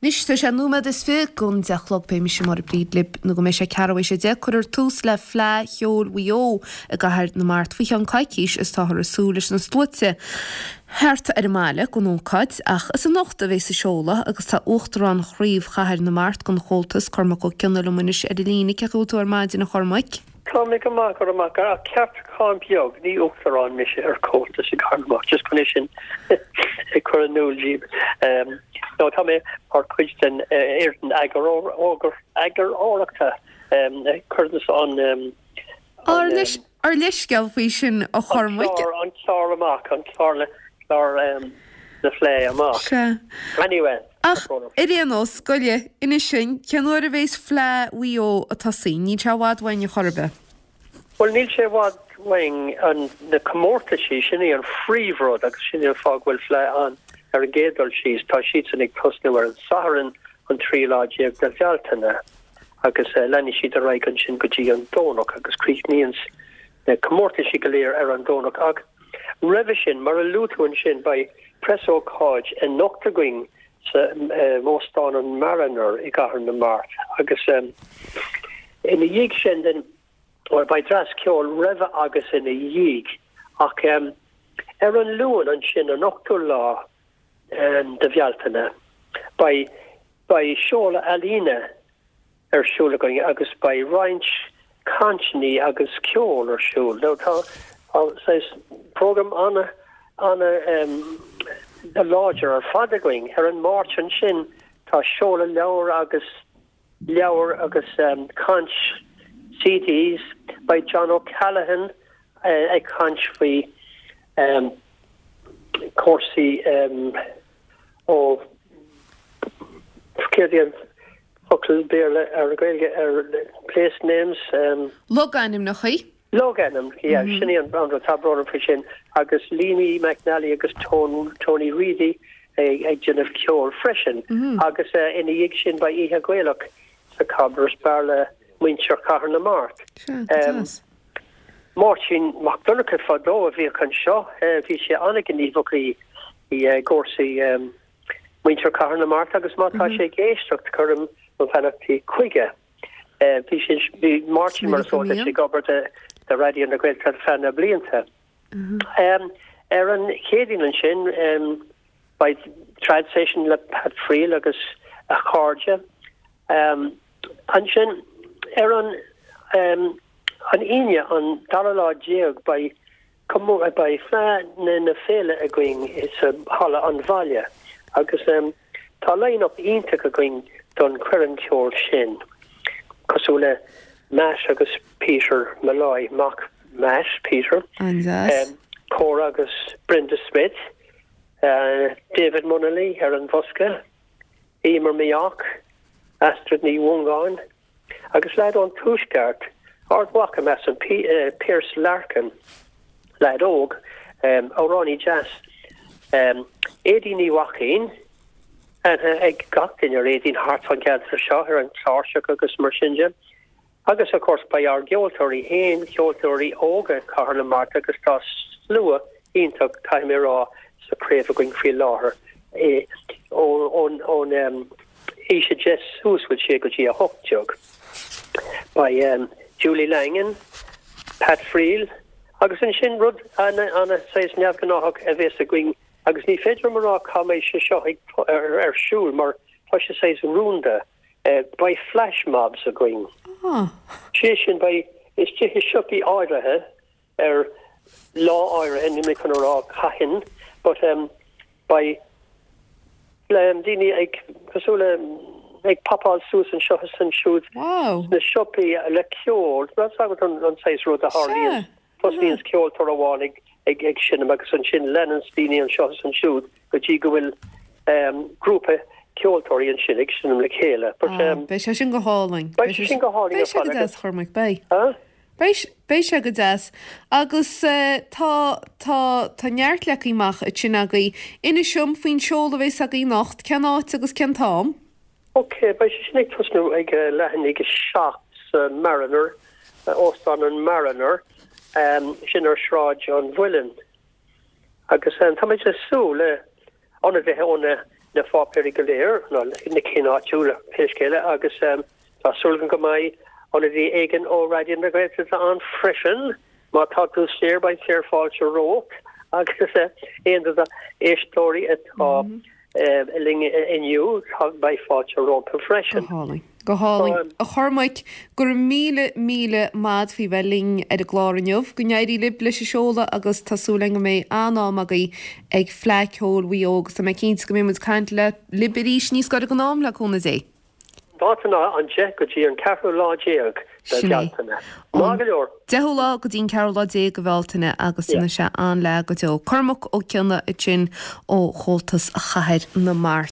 Anois tá sé nóiméad is fi gon 10 a chlog beidh mise Máire Bríd libh nó go mbeidh sé ceathrú théis 10. Cuirfear tús le Fleadh Cheoil Mhaigh Eo i gCathair na Mart faoi cheann coicís is táthar ag súil leis na sluaite theacht ar an mbaile don ócáid ach is anocht a bheas an seoladh agus tá Uachtarán Chraobh Chathair na Mart den Chomhaltas, Cormac Ó Cionnaith liom anois ar an líne. Cén chaoi a bhfuil tú ar maidin a Chormaic? Tá mé go maith, go raibh maith agat. Ach ceartúchán beag, ní Uachtarán mise ar Comhaltas i gCathair na Mart, just chun é sin a chur in iúl díbh. No, tá mé mar chuid den fhoireann eagarthóireachta a chuireanns an Ár leithscéal faoi sin, a Chormaic. An clár amach, an clár na Fleidhe amach. Sea. Anyway. Ach ar aon nós, gabh i leith, inis dúinn, cén uair a bhéas Fleadh Mhaigh Eo ag tosaí? Níl sé i bhfad uainn ar chor ar bith. Bhuel, níl sé i bhfad uainn. An, na comórtaisí, sin í an phríomhrud agus sin í an fáth go bhfuil Fleadh ann ar an gcéad dul síos. Tá siadsan ag tosnú ar an Satharn an 13 lá de Bhealtaine agus leanfaidh siad ar aghaidh ansin go dtí an Domhnach agus críochnaíonn na comórtaisí go léir ar an Domhnach. Ach roimhe sin, mar a luaigh tú ansin, beidh preasócáid anocht againn sa Óstán an Mariner i gCathair na Mart agus ina dhiaidh sin then, bhuel, beidh dreas ceoil roimhe agus ina dhiaidh ach ar an Luan ansin, an ochtú lá de Bhealtaine, beidh beidh seoladh ealaíne ar siúl againn agus beidh roinnt cainteanna agus ceol ar siúl. Now tá saghas program ana ana láidir ar fad againn. Ar an Máirt ansin tá seoladh leabhar agus leabhar agus caint CDs. Beidh John O'Callaghan ag caint faoi cúrsaí ó céard é an focal Béarla ar Gaeilge ar place names? Logainmneacha. Logainmneacha, yeah, sin é an rud, tá brón orm faoi sin. Agus Leamy McNally agus Tony Reidy ag déanamh ceoil freisin. Agus ina dhiaidh sin beidh Oíche Ghaelach sa Cobblers Bar le muintir Chathair na Mart. Sea, go deas. Máirtín Mac Donncha fadó a bhíodh anseo, bhí sé an-ghníomhach i gcúrsaí muintir Chathair na Mart agus má tá sé ag éisteacht cuirim mo bheannachtaí chuige. Bhí sé, bhí Máirtín mar is eol duit ag obair do Raidió na Gaeltachta ar feadh na blianta. Ar an Chéadaoin ansin beidh trad session le Pat Friel agus a chairde. Ansin ar an an Aoine an dara lá déag beidh beidh Fleadh na Féile againn sa Halla an Bhaile agus tá line up iontach againn don choirm ceoil sin cosúil le Matt agus Peter Molloy, mac Matt, Peter, An-deas. Cora agus Brenda Smith, David Munnelly ar an bhosca, Emer Mayock, Astrid Ní Mhongáin agus leaid ón Tuaisceart, Ard Mhacha, measaim, Pearse Larkin, leaid óg, amhránaí deas, Aedín Ní Mhaicín, aithne ag gach duine ar Aedín thart fán gceantar seo, ar an chláirseach agus mar sin de. Agus of course beidh ár gceoltóirí féin, ceoltóirí óga Chathair na Mart agus tá slua iontach, caithfidh mé a rá, sa chraobh againn faoi láthair, ón aois 10 suas bhfuil sé go dtí 18. Beidh Julie Langan, Pat Friel agus ansin rud ana ana saghas neamhghnáthach a bhéas againn agus ní féidir liom a rá cá mbeidh sé seo ag ar siúl mar tá sé saghas rúnda. Beidh flash mobs againn. Sé sin, beidh istigh i siopaí áirithe ar lá áirithe, níl mé chun a rá cathain, but beidh daoine ag, cosúil le, ag popáil suas anseo is ansiúd sna siopaí le ceol. Tá a fhios agat an saghas rud a tharlaíonn. Tosnaíonns ceoltóir amháin ag ag seinm agus ansin leananns daoine anseo is ansiúd go dtí go bhfuil grúpa ceoltóirí ansin ag seinm le chéile. But Ah, beidh sé sin go hálainn. Beidh sé sin go hálainn ar fad. Beidh sé go deas, Chormaic, beidh. Huh? Beidh, beidh sé go deas. Agus tá, tá, tá neart leagtha amach ansin agaibh. Inis dom faoin seoladh a bheas agaibh anocht, cén áit agus cén t-am? Ok, beidh sé sin ag tosnú ag leath i ndiaidh 7 sa Mariner, Óstán an Mariner, sin ar Sráid an Mhuilinn. Agus táimid ag súil le ionadaithe ó na. na pháipéirí go léir, nó na cinn áitiúla, pé scéal é, agus tá súil agam go mbeidh ionadaí éigin ó Raidió na Gaeltachta ann freisin. Má tá tú saor, beidh saorfháilte romhat agus aon de d'éisteoirí atá linn inniu, beidh fáilte rompu freisin. Go hálainn. Go hálainn. A Chormaic, go raibh míle, míle maith a'd faoi bheith linn ar an gclár inniu. Go n-éirí libh leis an seoladh agus tá súil againn go mbeidh an-am agaibh ag Fleadh Ceoil Mhaigh Eo agus tá mé cinnte go mbeidh muid ag caint le libh arís níos gaire don am, le cúnamh Dé. Dáta ná an 10 go dtí an ceathrú lá déag de Sin é. Bhealtaine. Maith go leor. Deichiú lá go dtí an ceathrú lá déag de Bhealtaine agus Yeah. déanfaidh sé an-fhleá go deo. Cormac Ó Cionnaith ansin ó Chomhaltas Chathair na Mart.